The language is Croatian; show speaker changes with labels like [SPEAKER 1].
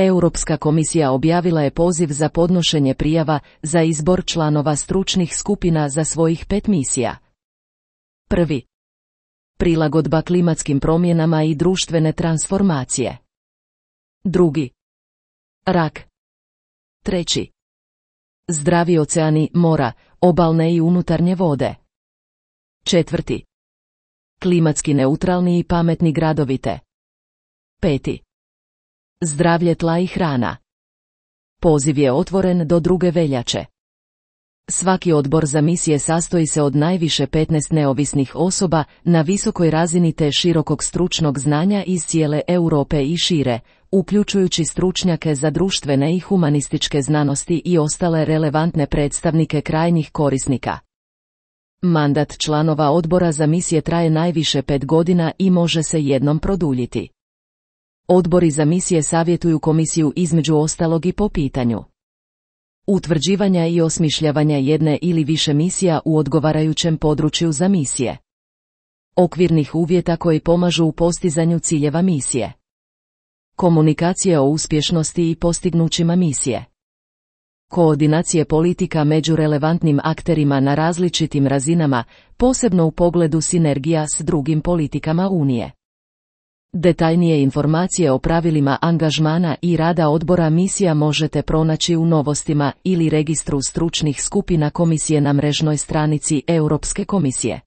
[SPEAKER 1] Europska komisija objavila je poziv za podnošenje prijava za izbor članova stručnih skupina za svojih 5 misija. 1. Prilagodba klimatskim promjenama i društvene transformacije. 2. Rak. 3. Zdravi oceani, mora, obalne i unutarnje vode. 4. Klimatski neutralni i pametni gradovite. 5. Zdravlje tla i hrana. Poziv je otvoren do 2. veljače. Svaki odbor za misije sastoji se od najviše 15 neovisnih osoba na visokoj razini te širokog stručnog znanja iz cijele Europe i šire, uključujući stručnjake za društvene i humanističke znanosti i ostale relevantne predstavnike krajnjih korisnika. Mandat članova odbora za misije traje najviše 5 godina i može se jednom produljiti. Odbori za misije savjetuju komisiju između ostalog i po pitanju utvrđivanja i osmišljavanja jedne ili više misija u odgovarajućem području za misije, okvirnih uvjeta koji pomažu u postizanju ciljeva misije, komunikacije o uspješnosti i postignućima misije, koordinacije politika među relevantnim akterima na različitim razinama, posebno u pogledu sinergija s drugim politikama Unije. Detaljnije informacije o pravilima angažmana i rada odbora misija možete pronaći u novostima ili registru stručnih skupina komisije na mrežnoj stranici Europske komisije.